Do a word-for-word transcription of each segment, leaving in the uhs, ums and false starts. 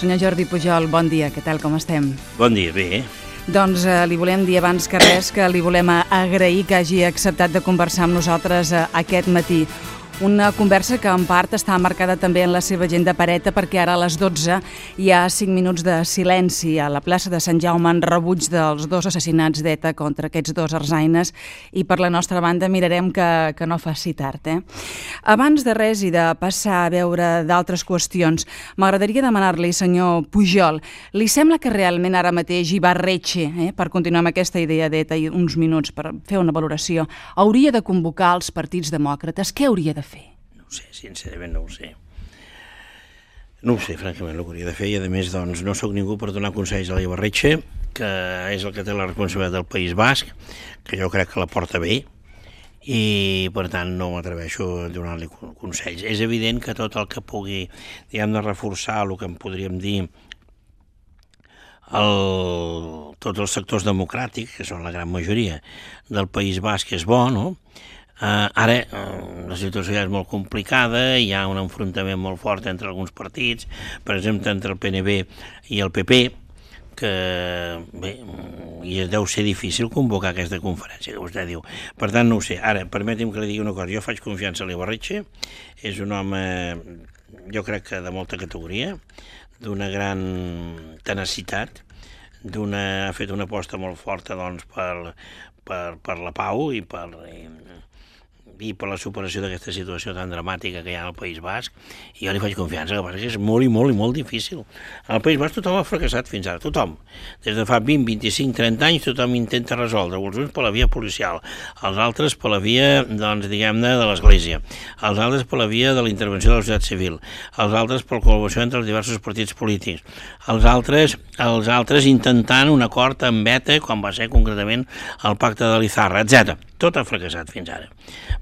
Senyor Jordi Pujol, bon dia, què tal, com estem? Bon dia, bé. Doncs eh, li volem dir abans que res que li volem agrair que hagi acceptat de conversar amb nosaltres eh, aquest matí. Una conversa que en part està marcada també en la seva agenda pareta perquè ara a les dotze hi ha cinc minuts de silenci a la plaça de Sant Jaume en rebuig dels dos assassinats d'ETA contra aquests dos arsaines i per la nostra banda mirarem que, que no faci tard. Eh? Abans de res i de passar a veure d'altres qüestions, m'agradaria demanar-li, senyor Pujol, li sembla que realment ara mateix Ibarretxe, eh, per continuar amb aquesta idea d'ETA i uns minuts per fer una valoració, hauria de convocar els partits demòcrates? Què hauria de fer? No ho sé, sincerament no ho sé. No ho sé, francament, el que hauria de fer, i a més, doncs, no sóc ningú per donar consells a l'Ibarretxe, que és el que té la responsabilitat del País Basc, que jo crec que la porta bé, i per tant no m'atreveixo a donar-li consells. És evident que tot el que pugui, diguem, de reforçar el que en podríem dir el, tots els sectors democràtics, que són la gran majoria del País Basc, és bo, no? Uh, ara uh, la situació ja és molt complicada, hi ha un enfrontament molt fort entre alguns partits, per exemple entre el P N B i el P P, que bé, i deu ser difícil convocar aquesta conferència que vostè diu. Per tant, no ho sé. Ara, permeti'm que li digui una cosa, jo faig confiança a l'Ibarretxe, és un home, jo crec que de molta categoria, d'una gran tenacitat, d'una, ha fet una aposta molt forta doncs, per, per, per la pau i per... I, i per la superació d'aquesta situació tan dramàtica que hi ha al País Basc, i jo li faig confiança, que passa que és molt i molt i molt difícil. Al País Basc tothom ha fracassat fins ara, tothom. Des de fa vint, vint-i-cinc, trenta anys tothom intenta resoldre, els uns per la via policial, els altres per la via, doncs, diguem-ne, de l'Església, els altres per la via de la intervenció de la societat civil, els altres per la col·laboració entre els diversos partits polítics, els altres, els altres intentant un acord amb ETA, com va ser concretament el pacte de l'Izarra, etcètera. Tot ha fracassat fins ara.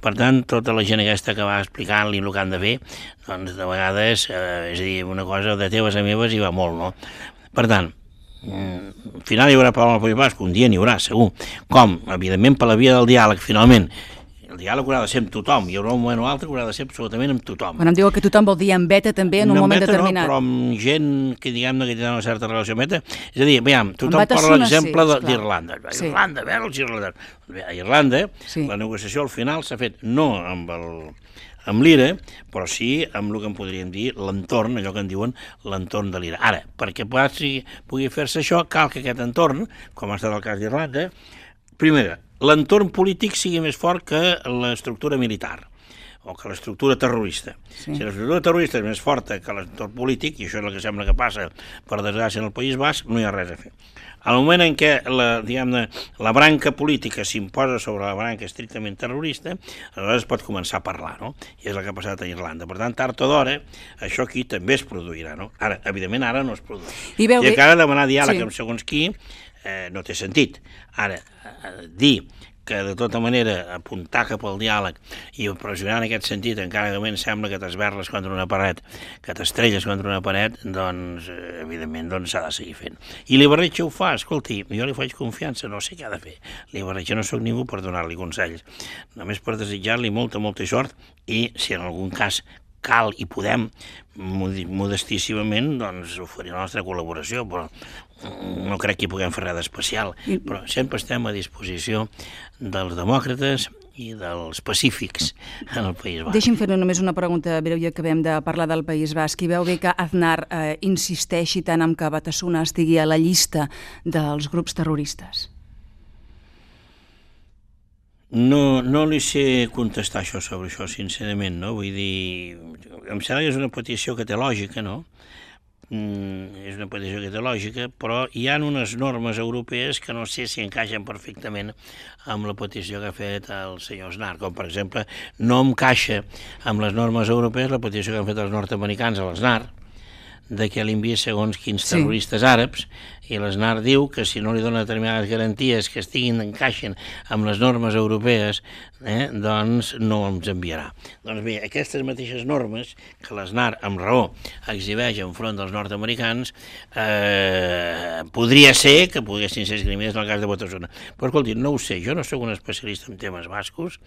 Per tant, tota la gent aquesta que va explicant-li el que han de fer, doncs de vegades, eh, és a dir, una cosa de teves a meves hi va molt, no? Per tant, al final hi haurà pau al País Basc, un dia n'hi haurà, segur. Com? Evidentment, per la via del diàleg, finalment. El diàleg haurà de ser amb tothom, hi haurà un moment o altre que haurà de ser absolutament amb tothom. Quan em diu que tothom vol dir amb ETA també en un no moment ETA, determinat. No, però amb gent que diguem-ne que té una certa relació amb ETA. És a dir, veiem, tothom parla l'exemple sí, d'Irlanda. Sí. Irlanda, a veure els irlandesos. A Irlanda, sí. La negociació al final s'ha fet no amb el... amb l'I R A, però sí amb el que en podríem dir l'entorn, allò que en diuen l'entorn de l'I R A. Ara, perquè pugui, pugui fer-se això, cal que aquest entorn, com ha estat el cas d'Irlanda, primera, l'entorn polític sigui més fort que l'estructura militar o que l'estructura terrorista. Sí. Si l'estructura terrorista és més forta que l'entorn polític, i això és el que sembla que passa, per desgràcia, en el País Basc, no hi ha res a fer. Al moment en què la, diguem-ne, la branca política s'imposa sobre la branca estrictament terrorista, aleshores es pot començar a parlar, no? I és el que ha passat a Irlanda. Per tant, tard o d'hora, això aquí també es produirà, no? Ara, evidentment, ara no es produirà. I, veu... I encara demanar diàleg sí. amb segons qui eh, no té sentit. Ara, eh, dir que de tota manera apuntar cap al diàleg i pressionar en aquest sentit, encara que a mi sembla que t'esberles contra una paret, que t'estrelles contra una paret, doncs, evidentment, doncs s'ha de seguir fent. I l'Ibarretxe ho fa, escolti, jo li faig confiança, no sé què ha de fer. L'Ibarretxe no sóc ningú per donar-li consells, només per desitjar-li molta, molta sort i, si en algun cas cal i podem, modestíssimament, doncs oferir la nostra col·laboració, però no crec que hi puguem fer res d'especial, però sempre estem a disposició dels demòcrates i dels pacífics en el País Basc. Deixi'm fer només una pregunta breu, ja que acabem de parlar del País Basc. I veu bé que Aznar eh, insisteixi tant en que Batasuna estigui a la llista dels grups terroristes? No, no li sé contestar això sobre això, sincerament, no? Vull dir, em sembla que és una petició que té lògica, no? Mm, és una petició que té lògica, però hi ha unes normes europees que no sé si encaixen perfectament amb la petició que ha fet el senyor Aznar, com per exemple, no encaixa amb les normes europees la petició que han fet els nord-americans a l'Aznar, de que l'envia segons quins terroristes sí. àrabs, i l'Aznar diu que si no li dona determinades garanties que estiguin, encaixen amb les normes europees, eh, doncs no ens enviarà. Doncs bé, aquestes mateixes normes que l'Aznar, amb raó, exhibeix enfront dels nord-americans, eh, podria ser que poguessin ser esgrimides en el cas de Batasuna. Però escolti, no ho sé, jo no sóc un especialista en temes bascos,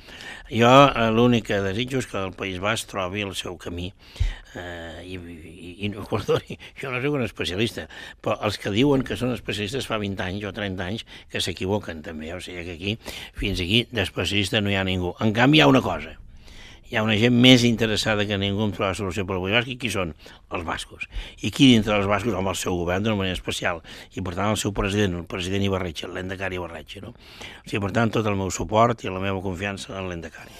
jo eh, l'únic que desitjo és que el País Basc trobi el seu camí eh, i, i, i no, perdoni, jo no soc un especialista, però els que diuen que són especialistes fa vint anys o trenta anys que s'equivoquen també, o sigui que aquí, fins aquí, d'especialista no hi ha ningú. En canvi, hi ha una cosa, hi ha una gent més interessada que ningú en trobar la solució per al País Basc, i qui són? Els bascos. I qui dintre dels bascos? Home, el seu govern d'una manera especial, i per tant el seu president, el president Ibarretxe, el Lehendakari Ibarretxe, no? O sigui, per tant, tot el meu suport i la meva confiança en el Lehendakari.